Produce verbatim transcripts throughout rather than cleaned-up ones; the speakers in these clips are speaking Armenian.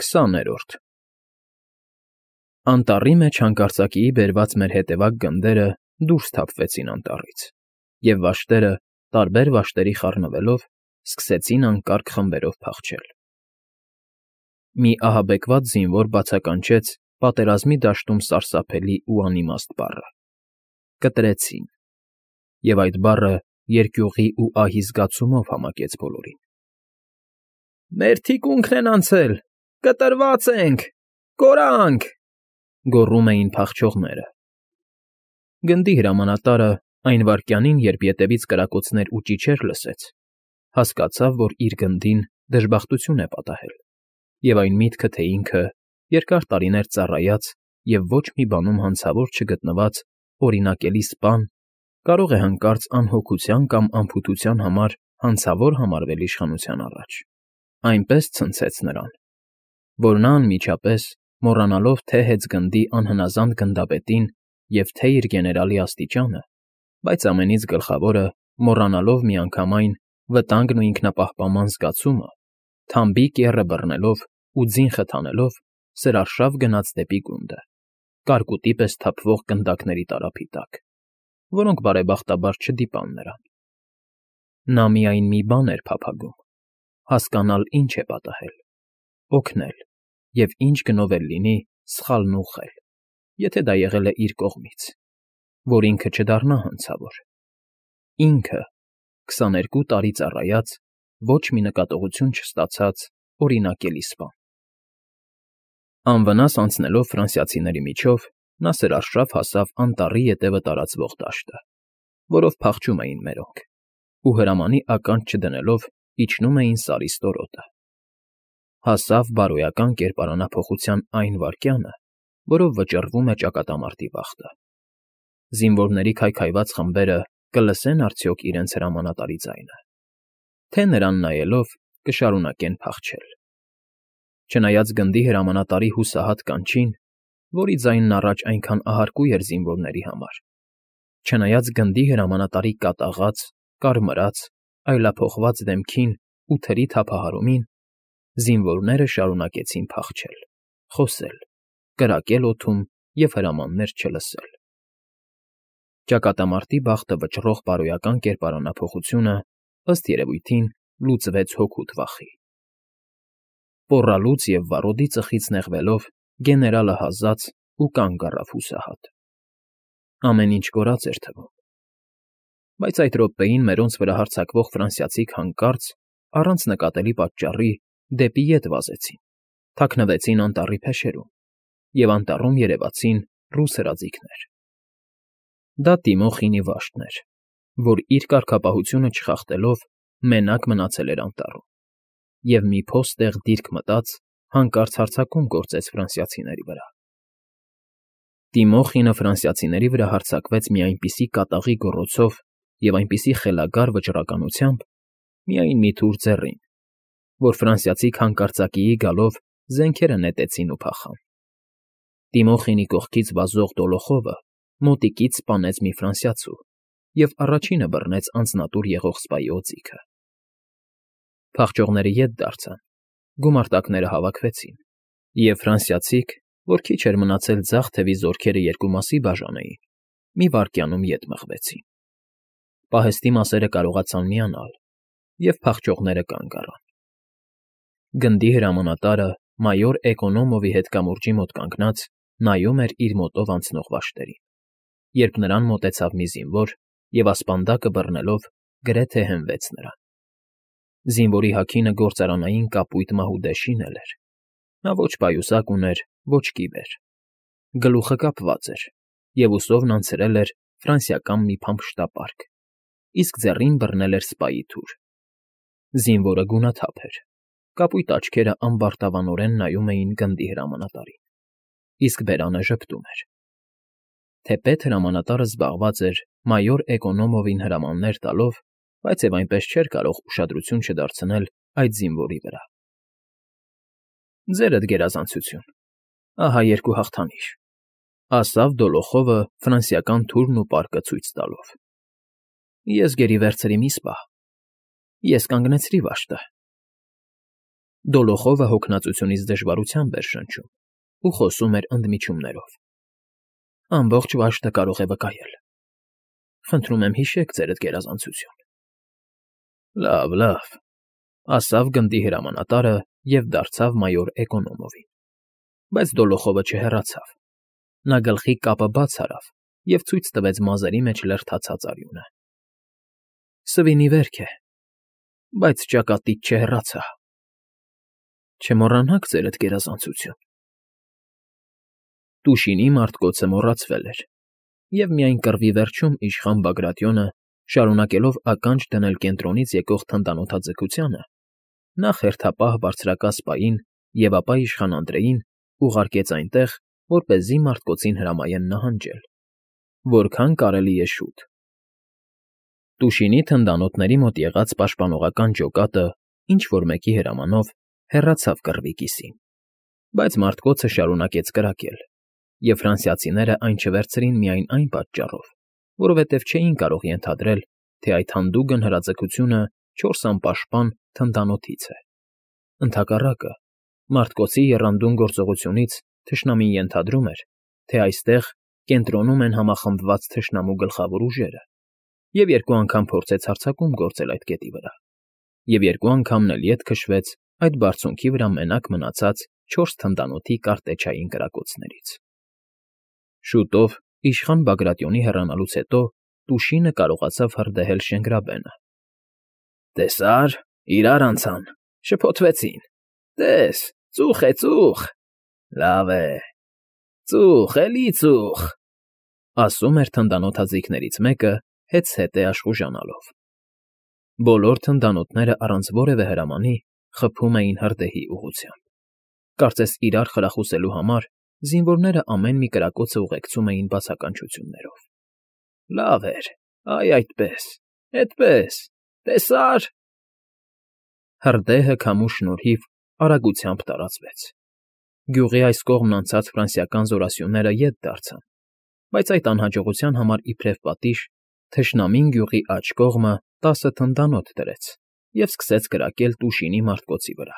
Քսաներորդ Անտառի մեջ հանկարծակիի բերված մեր հետևակ գնդերը դուրս թափվեցին անտառից, և վաշտերը, տարբեր վաշտերի խառնվելով, սկսեցին անկարգ խմբերով փախչել։ Մի ահաբեկված զինվոր բացականչեց պատերազմի դաշտում սարսափելի ու անիմաստ բառը. «Կտրեցին», և այդ բառը երկյուղի ու ահի զգացումով համակեց բոլորին։ «Մեր թիկունքն են անցել, կտրված ենք, կորա՜նք», գոռում էին փախչողները։ Գնդի հրամանատարը այն վայրկյանին, երբ ետևից կրակոցներ ու ճիչեր լսեց, հասկացավ, որ իր գնդին դժբախտություն է պատահել, և այն միտքը, թե ինքը, երկար տարիներ ծառայած և ոչ մի բանում հանցավոր չգտնված օրինակելի սպան, կարող է հանկարծ անհոգության կամ անփութության համար հանցավոր համարվել իշխանության առաջ, այնպես ցնցեց նրան, որ նա անմիջապես, մոռանալով թե՛ հեծգնդի անհնազանդ գնդապետին և թե՛ իր գեներալի աստիճանը, բայց ամենից գլխավորը, մոռանալով միանգամայն վտանգն ու ինքնապահպանման զգացումը, թամբի կեռը բռնելով ու ձին խթանելով, սրարշավ գնաց դեպի գունդը, կարկուտի պես թափվող գնդակների տարափի տակ, որոնք բարեբախտաբար չդիպան նրան։ Նա միայն մի բան էր փափագում. հասկանալ ինչ է պատահել, օգնել և ինչ գնով էլ լինի սխալն ուղղել, եթե դա եղել է իր կողմից, որ ինքը չդառնա հանցավոր։ Ինքը, քսաներկու տարի ծառայած, ոչ մի նկատողություն չստացած օրինակելի սպան։ Անվնաս անցնելով ֆրանսիացիների միջով, նա սրարշավ հասավ անտառի ետևը տարածվող դաշտը, որով փախչում էին մերոնք, ու հրամանի ականջ չդնելով իջնում էին Սարի ստորոտը։ Հասավ բարոյական կերպարանափոխության այն վայրկյանը, որով վճռվում է ճակատամարտի վախտը։ Զինվորների քայքայված խմբերը կլսեն արդյոք իրենց հրամանատարի ձայնը, թե նրան նայելով կշարունակեն փախչել։ Չնայած գնդի հրամանատարի հուսահատ կանչին, որի ձայնն առաջ այնքան ահարկու էր զինվորների համար, չնայած գնդի հրամանատարի կատաղած, կարմրած, այլափոխված դեմքին ու թրի թափահարումին, զինվորները շարունակեցին փախչել, խոսել, կրակել օդում և հրամաններ չլսել։ Ճակատամարտի բախտը վճռող բարոյական կերպարանափոխությունը, ըստ երևույթին, լուծվեց հօգուտ վախի։ Պոռալուց և վառոդի ծխից նեղվելով, գեներալը հազաց ու կանգ առավ հուսահատ։ Ամեն ինչ կորած էր թվում։ Բայց այդ րոպեին մերոնց վրա հարձակվող ֆրանսիացիք հանկարծ, առանց նկատելի պատճառի, դեպի ետ վազեցին, թաքնվեցին անտառի փեշերում, և անտառում երևացին ռուս հրաձիգներ։ Դա Տիմոխինի վաշտն էր, որ իր կարգապահությունը չխախտելով մենակ մնացել էր անտառում, և մի փոստեղ դիրք մտած հանկարծ հարձակում գործեց ֆրանսիացիների վրա։ Տիմոխինը ֆրանսիացիների վրա հարձակվեց մի այնպիսի կատաղի գոռոցով և այնպիսի խելագար վճռականությամբ, միայն մի թուր ձեռին, որ ֆրանսիացիք հանկարծակիի գալով զենքերը նետեցին ու փախան։ Տիմոխինի կողքից վազող դոլոխովը մոտիկից սպանեց մի ֆրանսիացու և առաջինը բռնեց անձնատուր եղող սպայի օձիքը։ Փախչողները ետ դարձան, գումարտակները հավաքվեցին, և ֆրանսիացիք, որ քիչ էր մնացել ձախ թևի զորքերը երկու մասի բաժանեին, մի վայրկյանում ետ մղվեցին։ Պահեստի մասերը կարողացան միանալ, և փախչողները կանգ առան։ Գնդի հրամանատարը մայոր Էկոնոմովի հետ կամուրջի մոտ կանգնած նայում էր իր մոտով անցնող վաշտերին, երբ նրան մոտեցավ մի զինվոր և ասպանդակը բռնելով գրեթե հենվեց նրան։ Զինվորի հագինը գործարանային կապույտ մահուդե շինել էր։ Նա ոչ պայուսակ ուներ, ոչ կիվեր։ Գլուխը կապված էր, և ուսովն անցրել էր ֆրանսիական մի փամփշտապարկ, իսկ ձեռին բռնել էր սպայի թուր։ Զինվորը գունաթափ էր, կապույտ աչքերը ամբարտավանորեն նայում էին գնդի հրամանատարին, իսկ բերանը ժպտում էր։ Թեպետ հրամանատարը զբաղված էր մայոր Էկոնոմովին հրամաններ տալով, բայց և այնպես չէր կարող ուշադրություն չդարձնել այդ զինվորի վրա։ «Ձերդ գերազանցություն, ահա երկու հաղթանիշ», ֊ ասավ Դոլոխովը ֆրանսիական թուրն ու պարկը ցույց տալով։ «Ես գերի վերցրի մի սպա։ Ես կանգնեցրի վաշտը»։ Դոլոխովը հոգնածությունից դժվարությամբ էր շնչում ու խոսում էր ընդմիջումներով. ֊ Ամբողջ վաշտը կարող է վկայել… Խնդրում եմ, հիշեք ձերդ գերազանցություն… ֊ Լավ, լավ,֊ ասավ գնդի հրամանատարը և դարձավ մայոր Էկոնոմովին, բայց Դոլոխովը չհեռացավ. նա գլխի կապը բաց արավ և ցույց տվեց մազերի մեջ լրթացած արյունը։ ֊ Սվինի վերք է, բայց ճակատից չհեռացա… Չմոռանաք ձերդ գերազանցություն… Տուշինի մարտկոցը մոռացվել էր, և միայն կռվի վերջում իշխան Բագրատիոնը, շարունակելով ականջ դնել կենտրոնից եկող թնդանոթաձգությանը, նախ հերթապահ բարձրակազպային և ապա իշխան Անդրեին ուղարկեց այնտեղ, որպեսզի մարտկոցին հրամայեն նահանջել, որքան կարելի է շուտ։ Տուշինի թնդանոթների մոտ եղած պաշտպանողական ջոկատը ինչ֊որ մեկի հրամանով հեռացավ կռվի կիսին, բայց մարտկոցը շարունակեց կրակել, և ֆրանսիացիները այն չվերցրին միայն այն պատճառով, որովհետև չէին կարող ենթադրել, թե այդ հանդուգն հրաձգությունը չորս անպաշտպան թնդանոթից է. ընդհակառակը, մարտկոցի եռանդուն գործողությունից թշնամին ենթադրում էր, թե այստեղ կենտրոնում են համախմբված թշնամու գլխավոր ուժերը, և երկու անգամ փորձեց հարձակում գործել այդ կետի վրա, և երկու անգամն էլ ետ քշվեց այդ բարձունքի վրա մենակ մնացած չորս թնդանոթի կարտեջային կրակոցներից։ Շուտով, իշխան Բագրատիոնի հեռանալուց հետո Տուշինը կարողացավ հրդեհել Շենգրաբենը. «Տեսա՞ր, իրար անցան, շփոթվեցին… Տես, ծուխ է, ծուխ… Լավ է, ծուխ, էլի ծուխ…֊ ասում էր թնդանոթաձիգներից մեկը հետզհետե աշխուժանալով։ Բոլոր թնդանոթները առանց որևէ հրամանի խփում էին հրդեհի ուղղությամբ. կարծես իրար խրախուսելու համար զինվորները ամեն մի կրակոցը ուղեկցում էին բացականչություններով։ «Լավ էր, այ այդպես, էդպես, տեսա՞ր…» Հրդեհը քամու շնորհիվ արագությամբ տարածվեց։ Գյուղի այս կողմն անցած ֆրանսիական զորասյուները ետ դարձան, բայց այդ անհաջողության համար իբրև պատիժ թշնամին գյուղի աջ կողմը տասը թնդանոթ դրեց և սկսեց կրակել Տուշինի մարտկոցի վրա։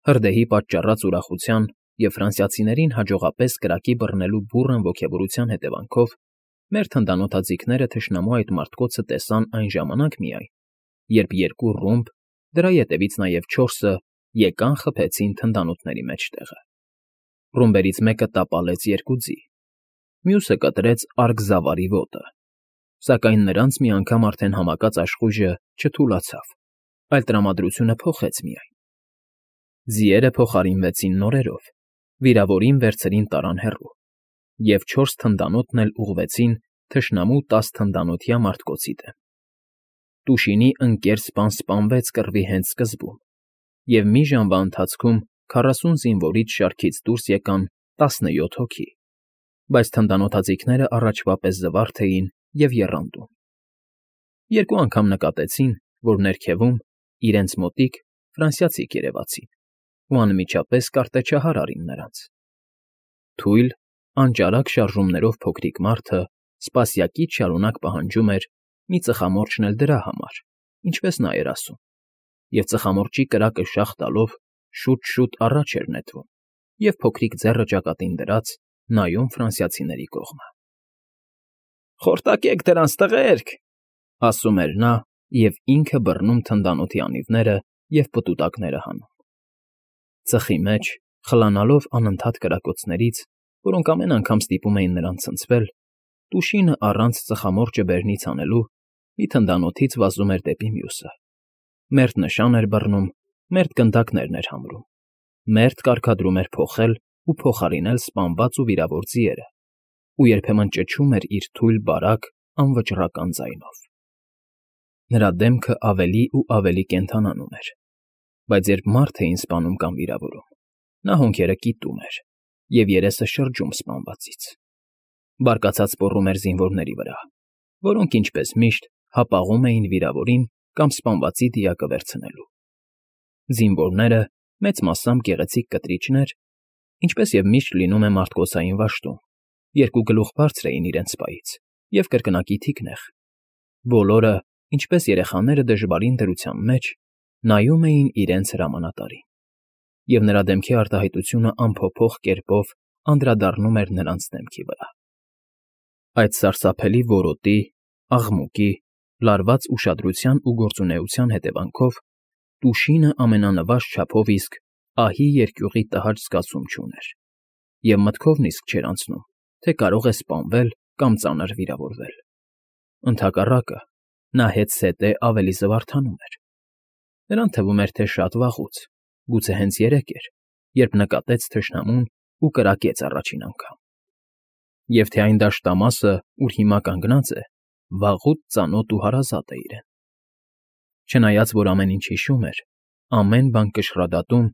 Հրդեհի պատճառած ուրախության և ֆրանսիացիներին հաջողապես կրակի բռնելու բուռն ոգևորության հետևանքով մեր թնդանոթաձիգները թշնամու այդ մարտկոցը տեսան այն ժամանակ միայն, երբ երկու ռումբ, դրա ետևից նաև չորսը եկան խփեցին թնդանոթների մեջտեղը։ Ռումբերից մեկը տապալեց երկու ձի, մյուսը կտրեց արգզավարի ոտը, սակայն նրանց մի անգամ արդեն համակած աշխույժը չթուլացավ, այլ տրամադրությունը փոխեց միայն։ Ձիերը փոխարինվեցին նորերով, վիրավորին վերցրին տարան հեռու, և չորս թնդանոթն էլ ուղղվեցին թշնամու տաս թնդանոթյա մարտկոցի դեմ։ Տուշինի ընկեր սպան սպանվեց կռվի հենց սկզբում, և մի ժամվա ընթացքում քառասուն զինվորից շարքից դուրս եկան տասնյոթ հոգի, բայց թնդանոթաձիգները առաջվա պես զվարթ էին և եռանդուն։ Երկու անգամ նկատեցին, որ ներքևում, իրենց մոտիկ, ֆրանսիացիք երևացին ու անմիջապես կարտեջահար արին նրանց։ Թույլ, անճարակ շարժումներով փոքրիկ մարդը սպասյակից շարունակ պահանջում էր մի ծխամորճն էլ դրա համար, ինչպես նա էր ասում, և ծխամորճի կրակը շաղ տալով շուտ֊շուտ առաջ էր նետվում և փոքրիկ ձեռը ճակատին դրած նայում ֆրանսիացիների կողմը։ ֊ Խորտակեք դրանց, տղերք,֊ ասում էր նա և ինքը բռնում թնդանոթի անիվները և պտուտակները հանում։ Ծխի մեջ, խլանալով անընդհատ կրակոցներից, որոնք ամեն անգամ ստիպում էին նրան ցնցվել, Տուշինը առանց ծխամորճը բերնից հանելու մի թնդանոթից վազում էր դեպի մյուսը, մերթ նշան էր բռնում, մերթ գնդակներն էր համրում, մերթ կարգադրում էր փոխել ու փոխարինել սպանված ու վիրավոր ձիերը ու երբեմն ճչում էր իր թույլ, բարակ, անվճռական ձայնով։ Նրա դեմքը ավելի ու ավելի կենդանանում էր, բայց երբ մարդ էին սպանում կամ վիրավորում, նա հոնքերը կիտում էր և երեսը շրջում սպանվածից։ Բարկացած պոռում էր զինվորների վրա, որոնք, ինչպես միշտ, հապաղում էին վիրավորին կամ սպանվածի դիակը վերցնելու։ Զինվորները, մեծ մասամբ գեղեցիկ կտրիչներ, ինչպես և միշտ լինում է մարտկոցային վաշտում, երկու գլուխ բարձր էին իրենց պայից և կրկնակի թիկնեղ, բոլորը, ինչպես երեխաները դժվարին դրության մեջ, նայում էին իրենց հրամանատարին։ և նրա դեմքի արտահայտությունը անփոփոխ կերպով անդրադառնում էր նրանց դեմքի վրա։ Այդ սարսափելի որոտի, աղմուկի, լարված ուշադրության ու գործունեության հետևանքով Տուշինը ամենանվազ չափով իսկ ահի երկյուղի տհաճ զգացում չուներ, և մտքով նիսկ չէր անցնում, թե կարող է սպանվել կամ ծանր վիրավորվել։ Ընդհակառակը, նա հետզհետե ավելի զվարթանում էր։ Նրան թվում էր, թե շատ վաղուց, գուցե հենց երեկ էր, երբ նկատեց թշնամուն ու կրակեց առաջին անգամ, և թե այն դաշտամասը, ուր հիմա կանգնած է, վաղուց ծանոթ ու հարազատ է իրեն։ Չնայած որ ամեն ինչ հիշում էր, ամեն բան կշռադատում,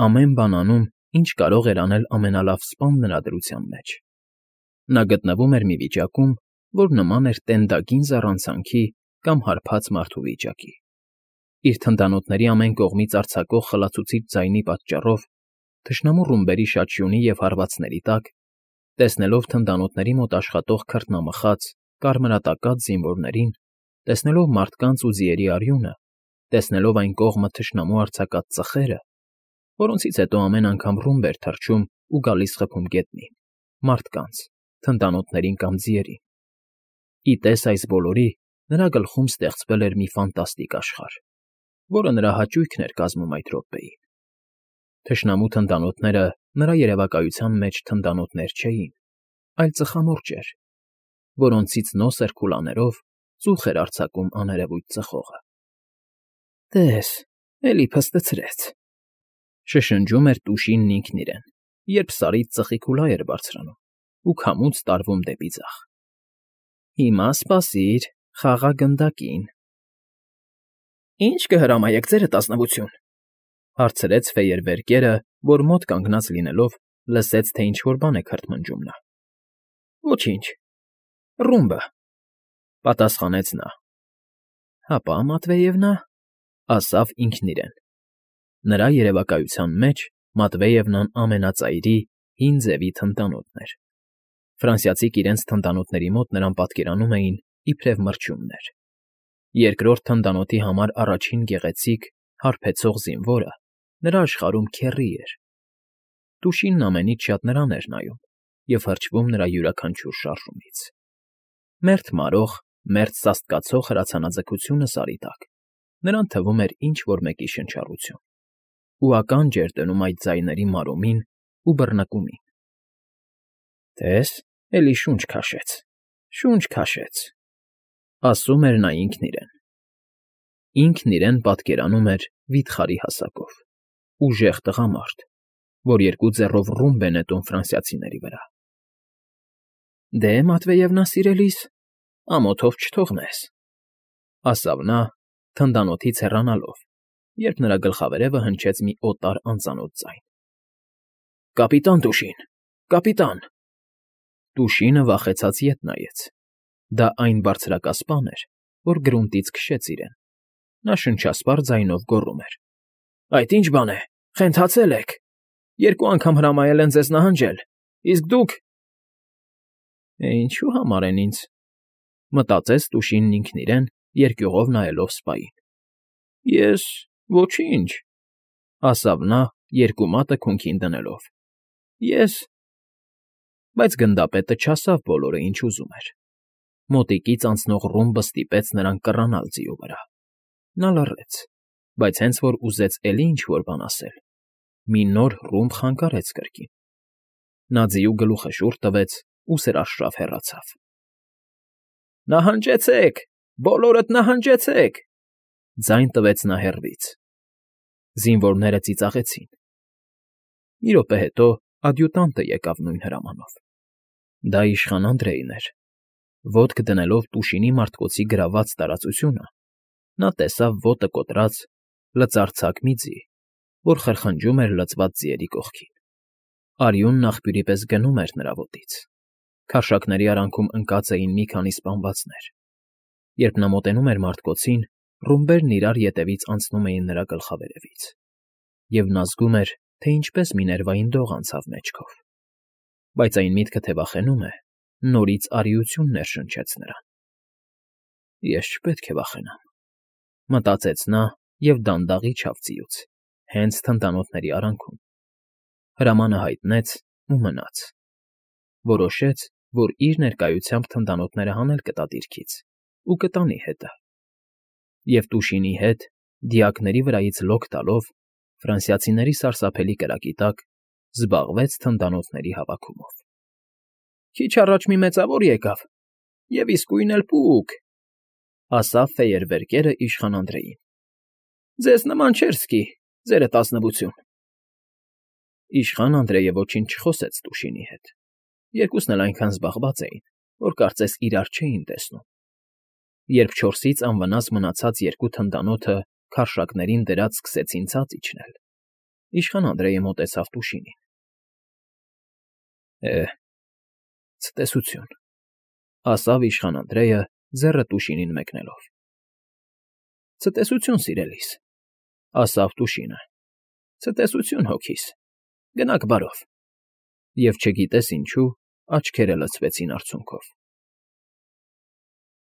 ամեն բան անում, ինչ կարող էր անել ամենալավ սպան նրա դրության մեջ, նա գտնվում էր մի վիճակում, որ նման էր տենդագին զառանցանքի կամ հարբած մարդու վիճակի։ Իր թնդանոթների ամեն կողմից արձակող խլացուցիչ ձայնի պատճառով, թշնամու ռումբերի շաչյունի և հարվածների տակ, տեսնելով թնդանոթների մոտ աշխատող քրտնամխած, կարմրատակած զինվորներին, տեսնելով մարդկանց ու ձիերի արյունը, տեսնելով այն կողմը թշնամու արձակած ծխերը, որոնցից հետո ամեն անգամ ռումբ էր թռչում ու գալիս խփում գետնին, մարդկանց, թնդանոթներին կամ ձիերին։ Ի տես այս բոլորի, նրա գլխում ստեղծվել էր մի ֆանտաստիկ աշխարհ, որը նրա հաճույքն էր կազմում այդ րոպեին։ Թշնամու թնդանոթները նրա երևակայության մեջ թնդանոթներ չէին, այլ ծխամորճեր, որոնցից նոսր քուլաներով ծուխ էր արձակում աներևույթ ծխողը։ «Տես, էլի փստցրեց», շշնջում էր Տուշինն ինքն իրեն, երբ Սարից ծխի քուլա էր բարձրանում ու քամուց տարվում դեպի ձախ։ «Հիմա սպասիր խաղաղագնդակին»։ «Ի՞նչ կհրամայեք, Ձերդ Ազնվություն», հարցրեց ֆեյերվերկերը, որ մոտ կանգնած լինելով լսեց, թե ինչ֊որ բան է քրթմնջում նա։ «Ոչինչ, ռումբը», պատասխանեց նա։ «Հապա, Մատվեևնա», ասավ ինքն իրեն։ Նրա երևակայության մեջ Մատվեևնան ամենածայրի, հին ձևի թնդանոթն էր։ Ֆրանսիացիք իրենց թնդանոթների մոտ նրան պատկերանում էին իբրև մրջյուններ։ Երկրորդ թնդանոթի համար առաջին գեղեցիկ, հարբեցող զինվորը նրա աշխարհում քեռի էր։ Տուշինն ամենից շատ նրան էր նայում և հրճվում նրա յուրաքանչյուր շարժումից։ Մերթ մարող, մերթ սաստկացող հրացանաձգությունը Սարի տակ նրան թվում էր ինչ֊որ մեկի շնչառություն, ու ականջ էր դնում այդ ձայների մարումին ու բռնկումին։ «Տես, էլի շունչ քաշեց, շունչ քաշեց», ասում էր նա ինքն իրեն։ Ինքն իրեն պատկերանում էր վիթխարի հասակով, ուժեղ տղամարդ, որ երկու ձեռով ռումբ է նետում ֆրանսիացիների վրա։ «Դե, Մատվեևնա սիրելիս, ամոթով չթողնես», ասավ նա, թնդանոթից հեռանալով, երբ նրա գլխավերևը հնչեց մի օտար անծանոթ ձայն։ «Կապիտան Տուշին, կապիտան»։ Տուշինը վախեցած ետ նայեց։ Դա այն բարձրակասպան էր, որ գրունտից քշեց իրեն։ Նա շնչասպառ ձայնով գոռում էր. «Այդ ի՞նչ բան է, խենթացել եք։ Երկու անգամ հրամայել են ձեզ նահանջել, իսկ դուք…» «Ինչու համար են ինձ», մտածեց Տուշինն ինքն իրեն, երկյուղով նայելով սպային։ «Ես… ոչինչ», ասավ նա, երկու մատը քունքին դնելով։ «Ես…» Բայց գնդապետը չասավ բոլորը, ինչ ուզում էր։ Մոտիկից անցնող ռումբը ստիպեց նրան կռանալ ձիու վրա։ Նա լռեց, բայց հենց որ ուզեց էլի ինչ֊որ բան ասել, մի նոր ռումբ խանգարեց կրկին։ Նա ձիու գլուխը շուռ տվեց ու սրաշշավ հեռացավ։ «Նահանջեցեք, բոլորդ նահանջեցեք», ձայն տվեց նա հեռվից։ Զինվորները ծիծաղեցին։ Մի րոպե հետո ադյուտանտը եկավ նույն հրամանով։ Դա իշխան Անդրեյն էր։ Ոտք դնելով Տուշինի մարտկոցի գրաված տարածությունը, նա տեսավ ոտը կոտրած, լծարձակ մի ձի, որ խրխնջում էր լցված ձիերի կողքին։ Արյունն աղբյուրի պես գնում էր նրա ոտից։ Քարշակների արանքում ընկած էին մի քանի սպանվածներ։ Երբ նա մոտենում էր մարտկոցին, ռումբերն իրար ետևից անցնում էին նրա գլխավերևից, և նա զգում էր, թե ինչպես մի ներվային դող անցավ մեջքով։ Բայց այն միտքը, թե վախենում է, նորից արիություն ներշնչեց նրան։ «Ես չպետք է վախենամ», մտածեց նա և դանդաղ իջավ ձիուց, հենց թնդանոթների արանքում։ Հրամանը հայտնեց ու մնաց։ Որոշեց, որ իր ներկայությամբ թնդանոթները հանել կտա դիրքից ու կտանի հետը։ Եվ Տուշինի հետ, դիակների վրայից լոկ տալով, ֆրանսիացիների սարսափելի կրակի տակ զբաղվեց թնդանոթների հավաքումով։ ֊ Քիչ առաջ մի մեծավոր եկավ, և իսկույն էլ պուկ,֊ ասաց ֆեյերվերկերը իշխան Անդրեին։ ֊ Ձեզ նման չէր սկի, ձերը տազնվություն… Իշխան Անդրեյը ոչինչ չխոսեց Տուշինի հետ. երկուսն էլ այնքան զբաղված էին, որ կարծես իրար չէին տեսնում։ Երբ չորսից անվնաս մնացած երկու թնդանոթը քարշակներին դրած սկսեցին ցած իջնել, իշխան Անդրեյը մոտեցավ Տուշինին։ ֊ Է, ցտեսություն,֊ ասավ իշխան Անդրեյը, ձեռը Տուշինին մեկնելով։ ֊ Ցտեսություն, սիրելիս,֊ ասավ Տուշինը,֊ ցտեսություն հոգիս, գնաք բարով… Եվ չգիտես ինչու, աչքերը լցվեցին արցունքով։